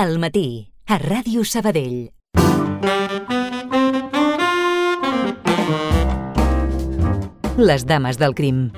Al matí, a Ràdio Sabadell. Les dames del crim.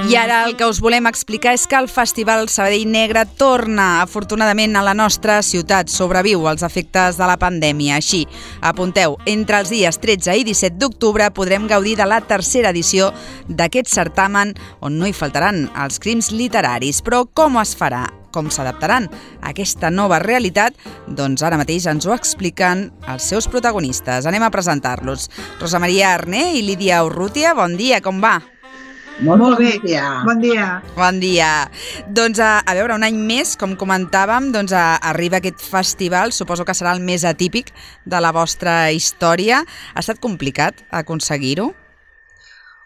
I ara el que us volem explicar és que el Festival Sabadell Negre torna, afortunadament, a la nostra ciutat. Sobreviu als efectes de la pandèmia. Així, apunteu, entre els dies 13 i 17 d'octubre podrem gaudir de la tercera edició d'aquest certamen on no hi faltaran els crims literaris. Però com es farà? Com s'adaptaran a aquesta nova realitat? Doncs ara mateix ens ho expliquen els seus protagonistes. Anem a presentar-los. Rosa Maria Arné i Lídia Urrutia, bon dia, com va? Molt bé, bon dia. Bon dia. Doncs a veure, un any més, com comentàvem, doncs arriba aquest festival, suposo que serà el més atípic de la vostra història. Ha estat complicat aconseguir-ho?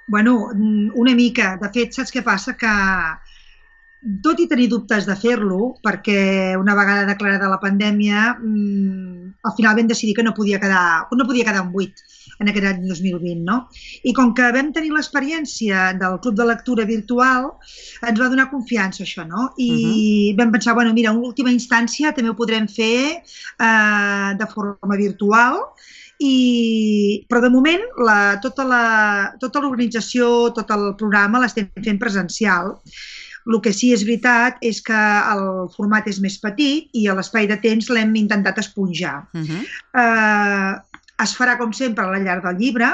Bueno, una mica. De fet, saps què passa? Que tot i tenir dubtes de fer-lo, perquè una vegada declarada la pandèmia, al final vam decidir que no podia quedar un buit en aquest any 2020, no? I com que vam tenir l'experiència del Club de Lectura virtual, ens va donar confiança això, no? I vam pensar, bueno, mira, en última instància també ho podrem fer de forma virtual, però de moment tota l'organització, tot el programa l'estem fent presencial. El que sí és veritat és que el format és més petit i l'espai de temps l'hem intentat esponjar. Es farà, com sempre, a la llar del llibre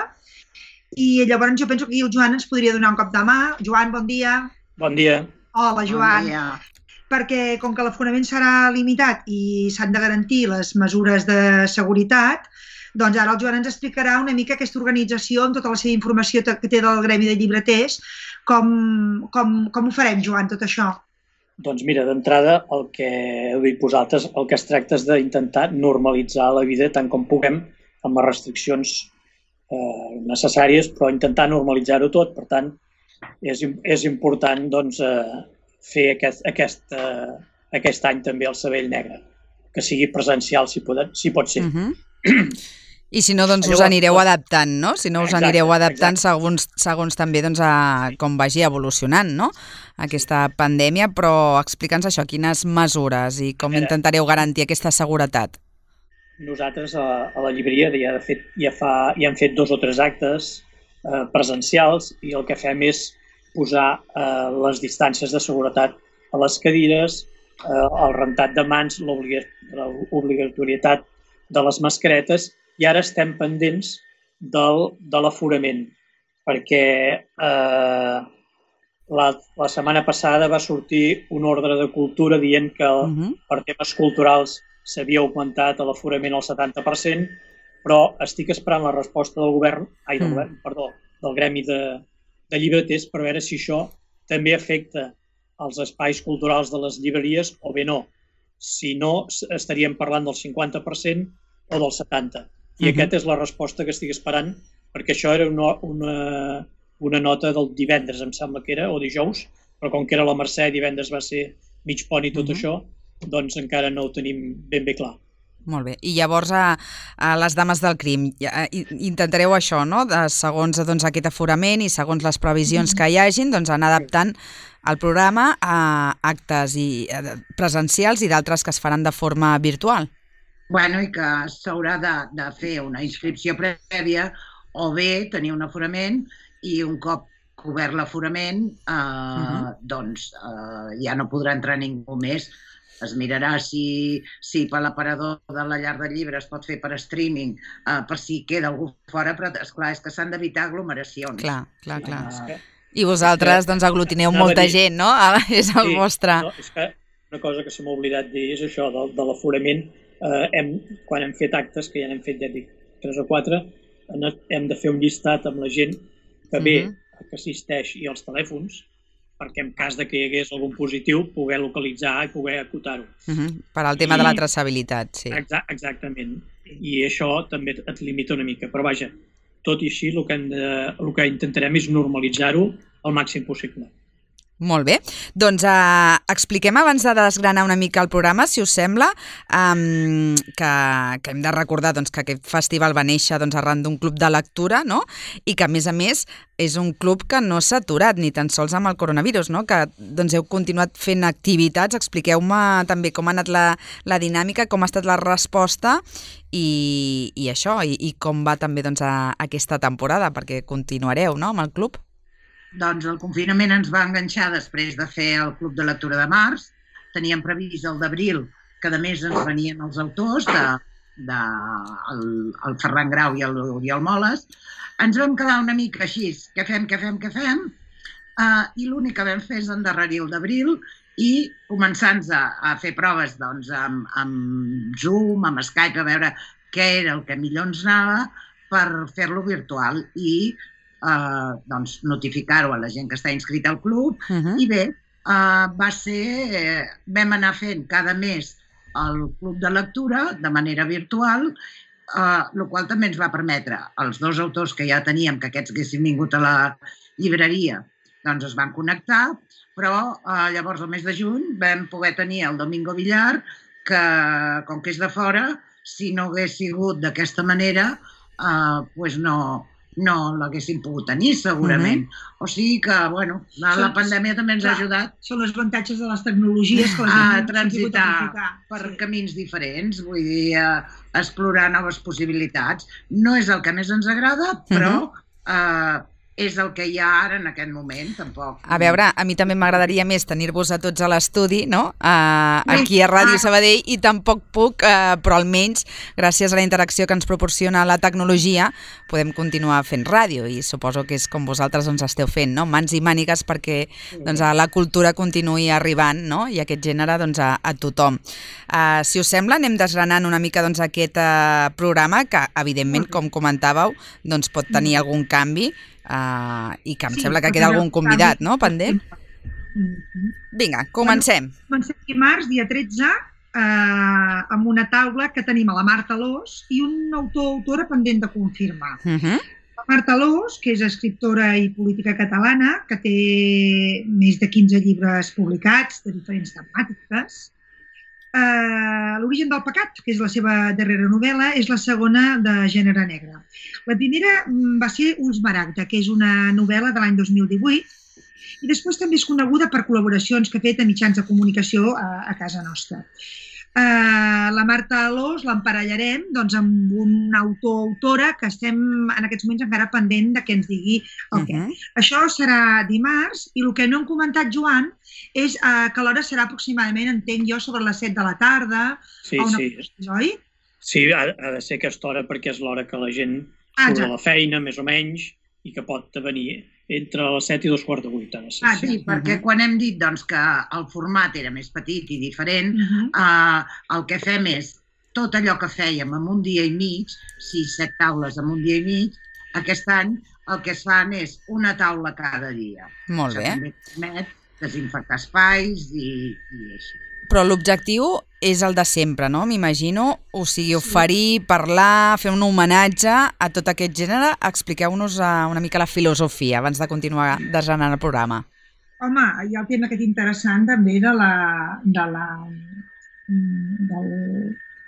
i llavors jo penso que aquí el Joan ens podria donar un cop de mà. Joan, bon dia. Bon dia. Hola, Joan. Bon dia. Perquè com que l'aforament serà limitat i s'han de garantir les mesures de seguretat, doncs ara el Joan ens explicarà una mica aquesta organització amb tota la seva informació que té del Gremi de Llibreters. Com ho farem, Joan, tot això? Doncs mira, d'entrada, el que heu dit vosaltres, el que es tracta és d'intentar normalitzar la vida tant com puguem, amb les restriccions necessàries, però intentar normalitzar-ho tot. Per tant, és important doncs, fer aquest any també el Sabadell Negre, que sigui presencial si pot ser. I si no, doncs us anireu adaptant, no? Si no us anireu adaptant segons també com vagi evolucionant, no? Aquesta pandèmia, però explica'ns això, quines mesures i com intentareu garantir aquesta seguretat. Nosaltres a la llibreria ja hem fet 2 o 3 actes presencials i el que fem és posar les distàncies de seguretat a les cadires, el rentat de mans, l'obligatorietat de les mascaretes, i ara estem pendents de l'aforament, perquè la setmana passada va sortir un ordre de cultura dient que per temes culturals s'havia augmentat l'aforament al 70%, però estic esperant la resposta del Gremi de Llibreters per veure si això també afecta els espais culturals de les llibreries o bé no. Si no, estaríem parlant del 50% o del 70%. I aquesta és la resposta que estic esperant, perquè això era una nota del divendres, em sembla que era, o dijous, però com que era la Mercè, divendres va ser mig pont i tot això, doncs encara no ho tenim ben bé clar. Molt bé. I llavors a les dames del crim, intentareu això, no? Segons aquest aforament i segons les previsions que hi hagin, doncs anar adaptant el programa a actes presencials i d'altres que es faran de forma virtual. Bueno, i que s'haurà de fer una inscripció prèvia o bé tenir un aforament i un cop cobert l'aforament doncs ja no podrà entrar ningú més. Es mirarà si per l'aparador de la llar del llibre es pot fer per streaming, per si queda algú fora, però esclar, és que s'han d'evitar aglomeracions. Clar. I vosaltres doncs aglutineu molta gent, no? És el vostre... És que una cosa que se m'ha oblidat dir és això de l'aforament. Quan hem fet actes, que ja n'hem fet, ja dic, 3 o 4, hem de fer un llistat amb la gent que ve, que assisteix, i els telèfons, perquè en cas de que hi hagués algun positiu, poder localitzar i poder acotar-ho. Per al tema de la traçabilitat, sí. Exactament. I això també et limita una mica. Però vaja, tot i així, el que intentarem és normalitzar-ho el màxim possible. Molt bé. Doncs expliquem abans de desgranar una mica el programa, si us sembla, que hem de recordar que aquest festival va néixer arran d'un club de lectura, no? I que, a més, és un club que no s'ha aturat ni tan sols amb el coronavirus, no? Que heu continuat fent activitats. Expliqueu-me també com ha anat la dinàmica, com ha estat la resposta i això, i com va també aquesta temporada, perquè continuareu, no?, amb el club. Doncs el confinament ens va enganxar després de fer el Club de Lectura de març. Teníem previst el d'abril, que a més ens venien els autors, el Ferran Grau i l'Oriol Moles. Ens vam quedar una mica així, què fem? I l'únic que vam fer és endarrerir el d'abril i començar-nos a fer proves amb Zoom, amb Skype, a veure què era el que millor ens anava per fer-lo virtual i notificar-ho a la gent que està inscrita al club. I bé, vam anar fent cada mes el club de lectura de manera virtual, el qual també ens va permetre els 2 autors que ja teníem, que aquests haguessin vingut a la llibreria, doncs es van connectar, però llavors el mes de juny vam poder tenir el Domingo Villar, que com que és de fora, si no hagués sigut d'aquesta manera, doncs no l'haguéssim pogut tenir, segurament. O sigui que, bueno, la pandèmia també ens ha ajudat. Són els avantatges de les tecnologies que a transitar per camins diferents, vull dir, explorar noves possibilitats. No és el que més ens agrada, però és el que hi ha ara en aquest moment, tampoc. A veure, a mi també m'agradaria més tenir-vos a tots a l'estudi, no?, aquí a Ràdio Sabadell, i tampoc puc, però almenys, gràcies a la interacció que ens proporciona la tecnologia, podem continuar fent ràdio, i suposo que és com vosaltres esteu fent, no?, mans i mànigues perquè la cultura continuï arribant, no?, i aquest gènere a tothom. Si us sembla, anem desgranant una mica aquest programa, que evidentment, com comentàveu, pot tenir algun canvi, i que em sembla que queda algun convidat, no?, pendent. Vinga, comencem. Comencem dimarts, dia 13, amb una taula que tenim a la Marta Alòs i un autor o autora pendent de confirmar. La Marta Alòs, que és escriptora i política catalana, que té més de 15 llibres publicats de diferents temàtiques. L'origen del pecat, que és la seva darrera novel·la, és la segona de gènere negre. La primera va ser Ulls Maragda, que és una novel·la de l'any 2018, i després també és coneguda per col·laboracions que ha fet a mitjans de comunicació a casa nostra. La Marta Alòs l'emparellarem amb un autor o autora que estem en aquests moments encara pendent de que ens digui el què. Això serà dimarts, i el que no hem comentat, Joan, és que l'hora serà aproximadament, entenc jo, sobre les 7 de la tarda. Sí. Oi? Sí, ha de ser aquesta hora perquè és l'hora que la gent surt de la feina, més o menys, i que pot venir entre les 7 i 7:45. Sí, perquè quan hem dit que el format era més petit i diferent, el que fem és tot allò que fèiem en un dia i mig, 6-7 taules en un dia i mig, aquest any el que es fan és una taula cada dia. Molt bé. Això també permet desinfectar espais i així. Però l'objectiu és el de sempre, no?, m'imagino. O sigui, oferir, parlar, fer un homenatge a tot aquest gènere. Expliqueu-nos una mica la filosofia abans de continuar desgranant el programa. Home, hi ha el tema aquest interessant també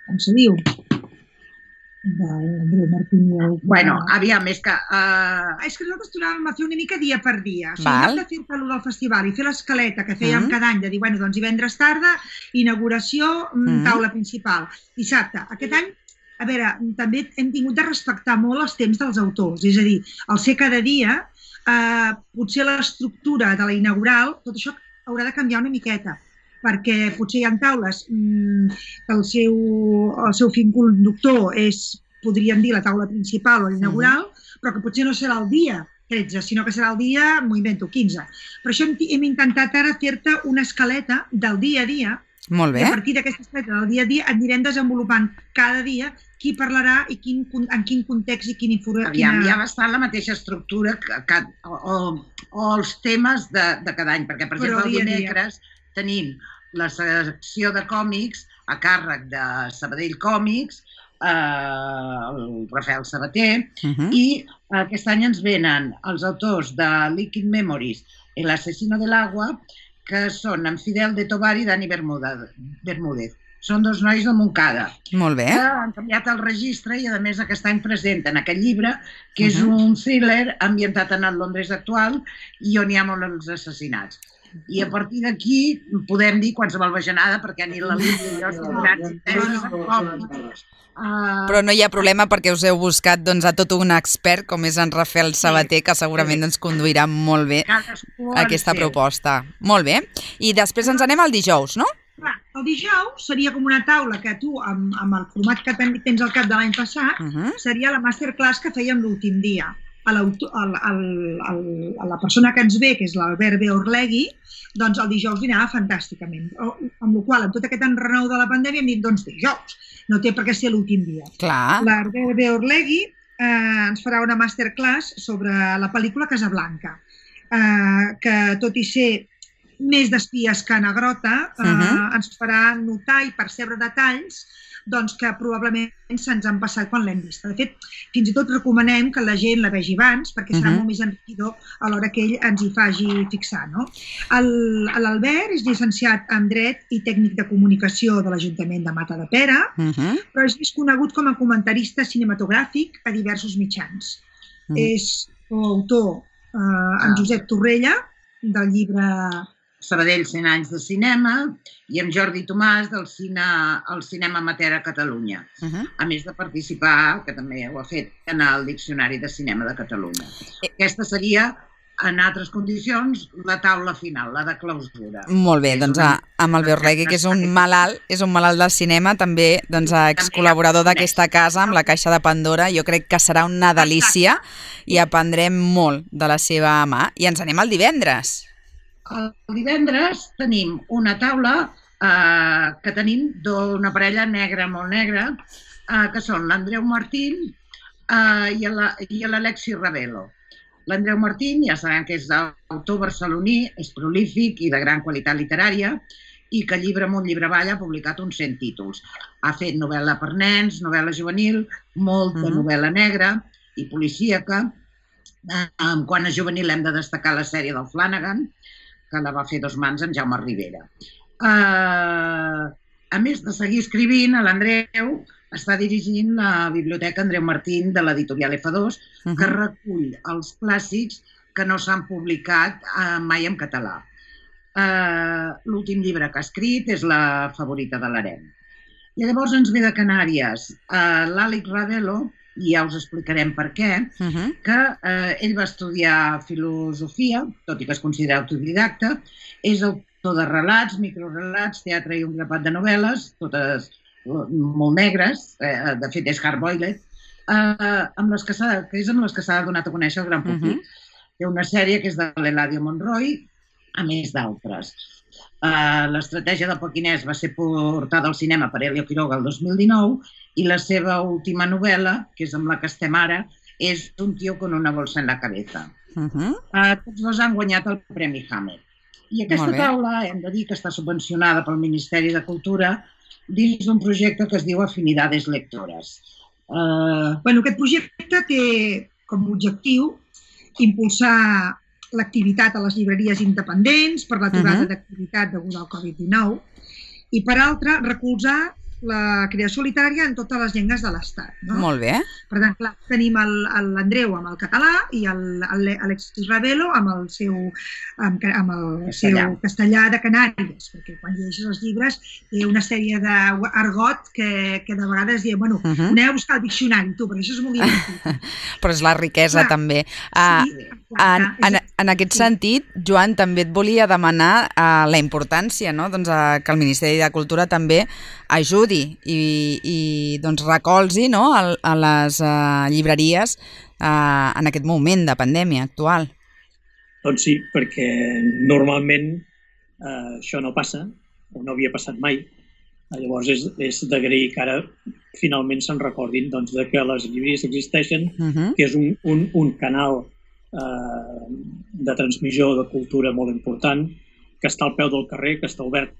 com se diu? Andreu Martínez. Bueno, aviam, és que... És que nosaltres tornàvem a fer una mica dia per dia. O sigui, en lloc de fer el del festival i fer l'escaleta que fèiem cada any, de dir, bueno, doncs divendres tarda, inauguració, taula principal, dissabte. Aquest any, a veure, també hem tingut de respectar molt els temps dels autors. És a dir, al ser cada dia, potser l'estructura de la inaugural, tot això haurà de canviar una miqueta, perquè potser hi ha taules que el seu fil conductor és, podríem dir, la taula principal o l'inaugural, però que potser no serà el dia 13, sinó que serà el dia, m'ho invento, 15. Per això hem intentat ara fer-te una escaleta del dia a dia. Molt bé. I a partir d'aquesta escaleta del dia a dia anirem desenvolupant cada dia qui parlarà i en quin context i quina informació. Aviam, hi ha bastant la mateixa estructura o els temes de cada any, perquè, per exemple, el dimecres tenim la secció de còmics a càrrec de Sabadell Còmics, el Rafael Sabater, i Aquest any ens venen els autors de Liquid Memories i l'Asesino del Agua, que són en Fidel de Tovar i Dani Bermúdez. Són dos nois de Montcada. Molt bé. Que han canviat el registre i, a més, aquest any presenten aquest llibre, que és un thriller ambientat en el Londres actual i on hi ha molts assassinats. I a partir d'aquí podem dir qualsevol bajanada, perquè ni la Lídia i jo som grans. Però no hi ha problema perquè us heu buscat a tot un expert com és en Rafael Sabater, que segurament ens conduirà molt bé aquesta proposta. Molt bé. I després ens anem al dijous, no? El dijous seria com una taula que tu, amb el format que tens al cap de l'any passat, seria la masterclass que fèiem l'últim dia. La persona que ens ve, que és l'Albert B. Orlegui, doncs el dijous dinava fantàsticament. Amb la qual cosa, amb tot aquest enrenou de la pandèmia, hem dit, doncs dijous. No té per què ser l'últim dia. L'Albert B. Orlegui ens farà una masterclass sobre la pel·lícula Casablanca, que tot i ser més d'espies que Negrota, ens farà notar i percebre detalls que probablement se'ns han passat quan l'hem vista. De fet, fins i tot recomanem que la gent la vegi abans, perquè serà molt més enriquidor a l'hora que ell ens hi faci fixar. L'Albert és llicenciat en Dret i tècnic de comunicació de l'Ajuntament de Matadepera, però és més conegut com a comentarista cinematogràfic a diversos mitjans. És coautor amb Josep Torrella del llibre Sabadell 100 anys de cinema i amb Jordi Tomàs del cinema amateur a Catalunya, a més de participar, que també ho ha fet, en el Diccionari de Cinema de Catalunya. Aquesta seria, en altres condicions, la taula final, la de clausura. Molt bé, doncs amb el Beorlegui, que és un malalt del cinema, també excol·laborador d'aquesta casa, amb la Caixa de Pandora, jo crec que serà una delícia i aprendrem molt de la seva mà. I ens anem al divendres. El divendres tenim una taula que tenim d'una parella negra, molt negra, que són l'Andreu Martín i l'Alexi Ravelo. L'Andreu Martín, ja sabem que és autor barceloní, és prolífic i de gran qualitat literària i que llibre amunt, llibre avall ha publicat uns 100 títols. Ha fet novel·la per nens, novel·la juvenil, molta novel·la negra i policíaca. Quan a juvenil hem de destacar la sèrie del Flanagan, que la va fer dos mans en Jaume Rivera. A més de seguir escrivint, l'Andreu està dirigint la Biblioteca Andreu Martín de l'editorial F2, que recull els clàssics que no s'han publicat mai en català. L'últim llibre que ha escrit és La favorita de l'harem. I llavors ens ve de Canàries l'Àlex Ravelo, i ja us explicarem per què, que ell va estudiar filosofia, tot i que es considera autodidacta, és autor de relats, microrelats, teatre i un grapat de novel·les, totes molt negres, de fet és hard-boiled, que és amb les que s'ha donat a conèixer el gran públic. Té una sèrie que és de l'Eladio Monroy, a més d'altres. L'estratègia del Pequinès va ser portada al cinema per Elio Quiroga el 2019 i la seva última novel·la, que és amb la que estem ara, és Un tío con una bolsa en la cabeza. Tots dos han guanyat el Premi Hammer. I aquesta taula hem de dir que està subvencionada pel Ministeri de Cultura dins d'un projecte que es diu Afinidades Lectores. Aquest projecte té com a objectiu impulsar l'activitat a les llibreries independents per l'aturada d'activitat deguda al Covid-19 i, per altra, recolzar la creació literària en totes les llengües de l'Estat. Molt bé. Per tant, clar, tenim l'Andreu amb el català i l'Alexis Ravelo amb el seu castellà de Canàries, perquè quan llegeixes els llibres té una sèrie d'argot que de vegades diu, bueno, aneu a buscar el diccionari, tu, perquè això és molt divertit. Però és la riquesa, també. En aquest sentit, Joan, també et volia demanar la importància que el Ministeri de Cultura també ajudi i recolzi a les llibreries en aquest moment de pandèmia actual. Doncs sí, perquè normalment això no passa, o no havia passat mai. Llavors és d'agrair que ara finalment se'n recordin que les llibreries existeixen, que és un canal de transmissió de cultura molt important, que està al peu del carrer, que està obert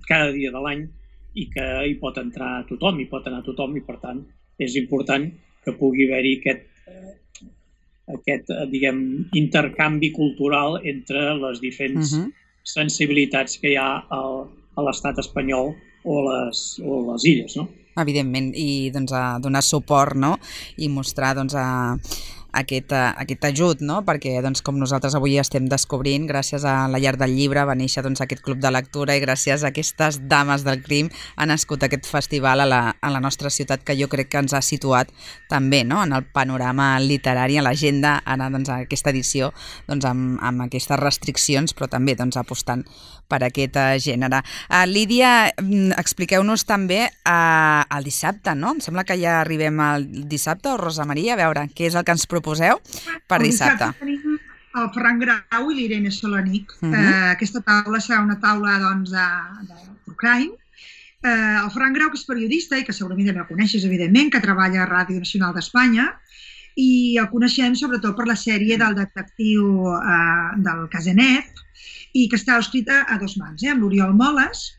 cada dia de l'any i que hi pot entrar tothom, hi pot anar tothom, i per tant és important que pugui haver-hi diguem, intercanvi cultural entre les diferents sensibilitats que hi ha a l'estat espanyol o les illes, no? Evidentment, i doncs, a donar suport, no? I mostrar doncs, aquest ajut, no? Perquè doncs, com nosaltres avui estem descobrint, gràcies a la Llar del Llibre va néixer doncs, aquest club de lectura i gràcies a aquestes dames del crim ha nascut aquest festival a la nostra ciutat, que jo crec que ens ha situat també, no? En el panorama literari, a l'agenda, ara doncs, a aquesta edició doncs, amb aquestes restriccions, però també doncs, apostant per aquest gènere. Lídia, expliqueu-nos també el dissabte, no? Em sembla que ja arribem al dissabte, o Rosa Maria, a veure, què és el que ens proposeu per dissabte? El dissabte tenim el Ferran Grau i l'Irene Solanic. Aquesta taula serà una taula doncs, de true crime. El Ferran Grau, que és periodista i que segurament també el coneixes, evidentment, que treballa a Ràdio Nacional d'Espanya, i el coneixem sobretot per la sèrie del detectiu del Casenet, i que està escrita a dos mans, amb l'Oriol Moles,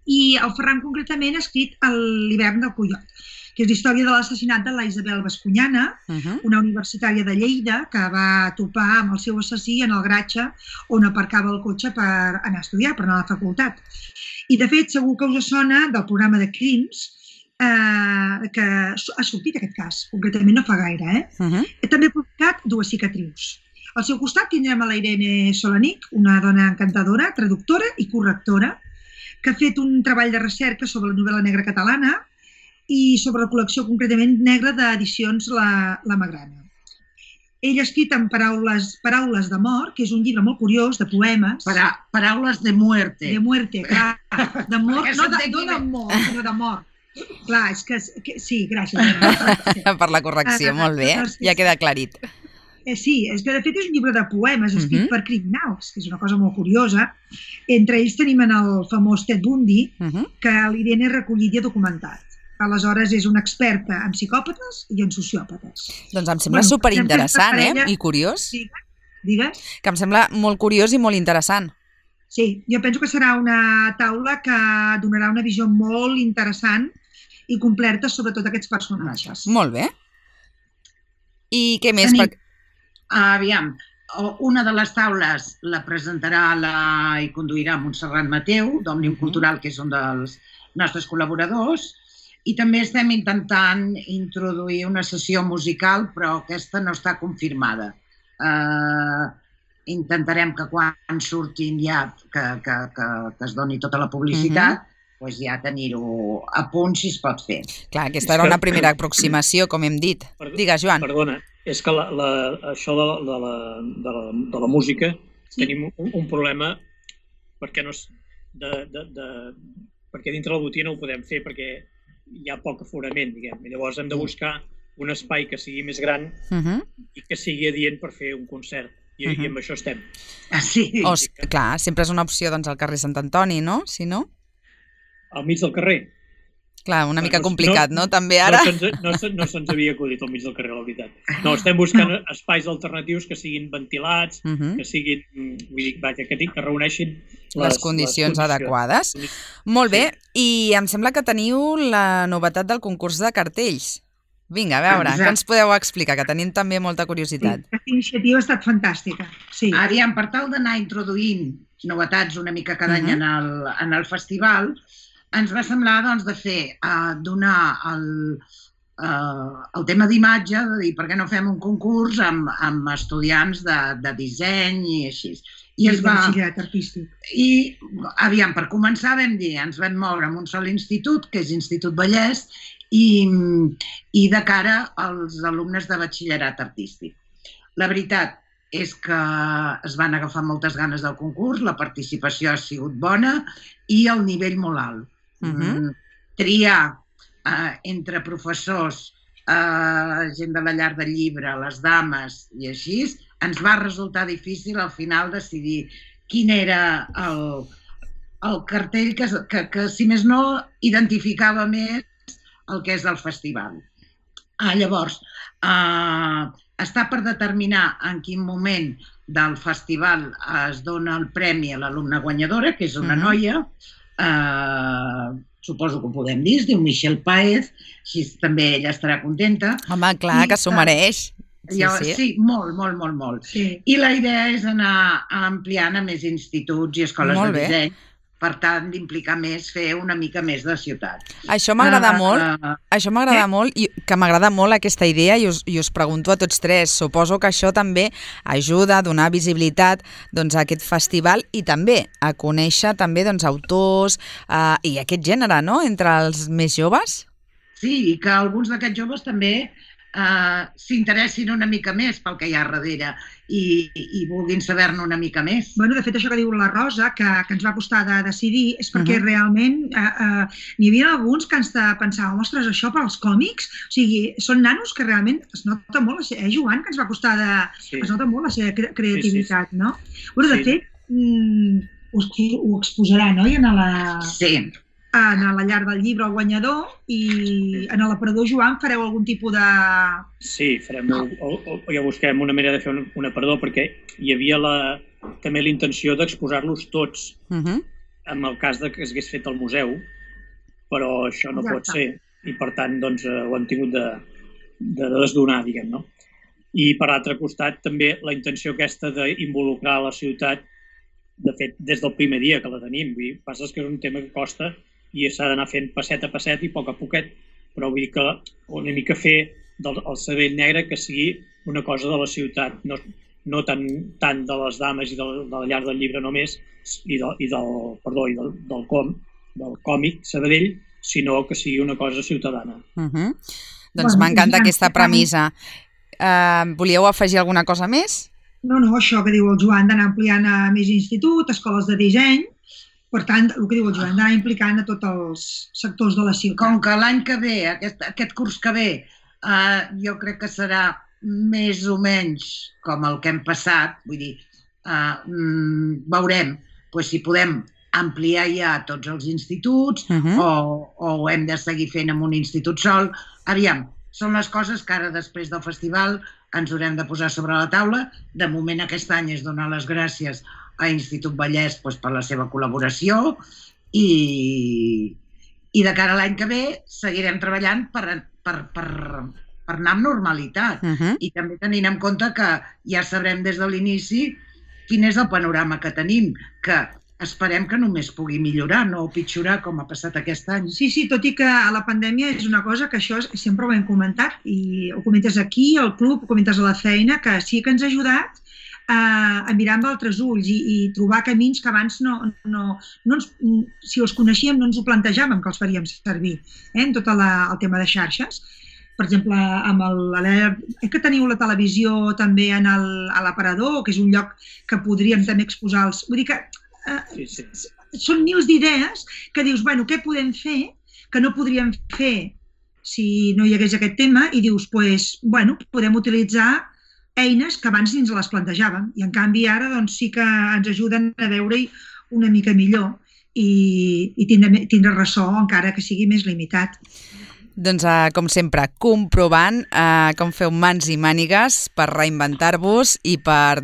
i el Ferran concretament ha escrit l'hivern del Coiot, que és la història de l'assassinat de la Isabel Bascuñana, una universitària de Lleida que va topar amb el seu assassí en el garatge on aparcava el cotxe per anar a estudiar, per anar a la facultat. I de fet, segur que us sona del programa de crims, que ha sortit aquest cas, concretament no fa gaire. També ha publicat Dues cicatrius. Al seu costat tindrem a la Irene Solanic, una dona encantadora, traductora i correctora, que ha fet un treball de recerca sobre la novel·la negra catalana i sobre la col·lecció concretament negra d'edicions La Magrana. Ell ha escrit en Paraules de mort, que és un llibre molt curiós, de poemes. Paraules de muerte. De muerte, clar. De mort, no de mort, sinó de mort. Clar, és que... Sí, gràcies. Per la correcció, molt bé, ja queda aclarit. Sí, és que de fet és un llibre de poemes escrit per criminals, que és una cosa molt curiosa. Entre ells tenim el famós Ted Bundy, que l'Irene ha recollit i ha documentat. Aleshores és una experta en psicòpates i en sociòpates. Doncs em sembla superinteressant, i curiós. Sí, digues. Que em sembla molt curiós i molt interessant. Sí, jo penso que serà una taula que donarà una visió molt interessant i completa sobre tots aquests personatges. Molt bé. I què més? Aviam, una de les taules la presentarà i conduirà Montserrat Mateu, d'Òmnium Cultural, que és un dels nostres col·laboradors, i també estem intentant introduir una sessió musical, però aquesta no està confirmada. Intentarem que quan surtin ja, que es doni tota la publicitat, doncs ja tenir-ho a punt si es pot fer. Clar, aquesta era una primera aproximació, com hem dit. Digues, Joan. Perdona, és que això de la música tenim un problema perquè dintre la botiga no ho podem fer perquè hi ha poc aforament, diguem. Llavors hem de buscar un espai que sigui més gran i que sigui adient per fer un concert. I amb això estem. Sí. Clar, sempre és una opció al carrer Sant Antoni, no? Si no? Al mig del carrer. Clar, una mica complicat, no? També ara... No se'ns havia acudit al mig del carrer, la veritat. No, estem buscant espais alternatius que siguin ventilats, que siguin, que reuneixin les condicions adequades. Molt bé, i em sembla que teniu la novetat del concurs de cartells. Vinga, a veure, què ens podeu explicar, que tenim també molta curiositat. Aquesta iniciativa ha estat fantàstica. Aviam, per tal d'anar introduint novetats una mica cada any en el festival, ens va semblar de fer, donar el tema d'imatge, de dir per què no fem un concurs amb estudiants de disseny i així. I de batxillerat artístic. I, aviam, per començar vam dir, ens vam moure en un sol institut, que és Institut Vallès, i de cara als alumnes de batxillerat artístic. La veritat és que es van agafar moltes ganes del concurs, la participació ha sigut bona i el nivell molt alt. Triar entre professors, gent de la Llar del Llibre, les dames i així, ens va resultar difícil al final decidir quin era el cartell que si més no, identificava més el que és el festival. Llavors, està per determinar en quin moment del festival es dona el premi a l'alumna guanyadora, que és una noia, suposo que ho podem dir, es diu Michelle Paez, així també ella estarà contenta. Home, clar, que s'ho mereix. Sí, molt. Sí. I la idea és anar ampliant a més instituts i escoles de disseny, per tant, d'implicar més, fer una mica més de ciutat. Això m'agrada molt, i que m'agrada molt aquesta idea i us pregunto a tots tres. Suposo que això també ajuda a donar visibilitat a aquest festival i també a conèixer també autors i aquest gènere, no?, entre els més joves. Sí, i que alguns d'aquests joves també s'interessin una mica més pel que hi ha darrere i vulguin saber-ne una mica més. Bueno, de fet, això que diu la Rosa, que ens va costar de decidir, és perquè realment n'hi havia alguns que ens pensàvem, ostres, això pels còmics? O sigui, són nanos que realment es nota molt, Joan, que ens va costar es nota molt la seva creativitat, no? Bueno, de fet, ho exposaran, oi? En la llar del llibre, el guanyador, i en l'aparador Joan fareu algun tipus de... Sí, ja busquem una manera de fer un aparador, perquè hi havia també la intenció d'exposar-los tots, en el cas que s'hagués fet al museu, però això no pot ser, i per tant ho hem tingut de desdonar, diguem, no? I per altre costat també la intenció aquesta d'involucrar la ciutat, de fet, des del primer dia que la tenim, vull dir, passa que és un tema que costa i s'ha d'anar fent passet a passet i a poc a poquet, però vull dir que una mica fer del Sabadell Negre que sigui una cosa de la ciutat, no tant de les dames i de la llar del llibre només, del còmic Sabadell, sinó que sigui una cosa ciutadana. Doncs m'encanta aquesta premissa. Volíeu afegir alguna cosa més? No, això que diu el Joan, d'anar ampliant a més institut, escoles de disseny. Per tant, el que diu el Joan, d'anar implicant a tots els sectors de la ciutat. Com que l'any que ve, aquest curs que ve, jo crec que serà més o menys com el que hem passat, vull dir, veurem si podem ampliar ja tots els instituts o ho hem de seguir fent en un institut sol. Aviam, són les coses que ara, després del festival, ens haurem de posar sobre la taula. De moment, aquest any és donar les gràcies a Institut Vallès per la seva col·laboració i de cara a l'any que ve seguirem treballant per anar amb normalitat i també tenint en compte que ja sabrem des de l'inici quin és el panorama que tenim, que esperem que només pugui millorar, no pitjorar com ha passat aquest any. Sí, tot i que la pandèmia és una cosa que això sempre ho hem comentat i ho comentes aquí, al club, ho comentes a la feina, que sí que ens ha ajudat a mirar amb altres ulls i trobar camins que abans si els coneixíem no ens ho plantejàvem que els faríem servir en tot el tema de xarxes. Per exemple, que teniu la televisió també a l'aparador, que és un lloc que podríem també exposar els... Vull dir que són mils d'idees que dius, què podem fer que no podríem fer si no hi hagués aquest tema i dius, podem utilitzar eines que abans ni ens les plantejàvem i en canvi ara sí que ens ajuden a veure-hi una mica millor i tindre ressò encara que sigui més limitat. Doncs, com sempre, comprovant com feu mans i mànigues per reinventar-vos i per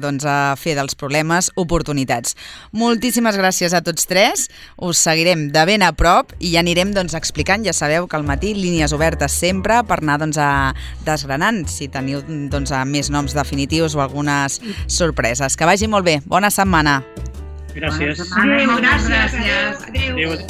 fer dels problemes oportunitats. Moltíssimes gràcies a tots tres. Us seguirem de ben a prop i ja anirem explicant, ja sabeu que al matí línies obertes sempre per anar desgranant si teniu més noms definitius o algunes sorpreses. Que vagi molt bé. Bona setmana. Gràcies. Adéu, gràcies. Adéu.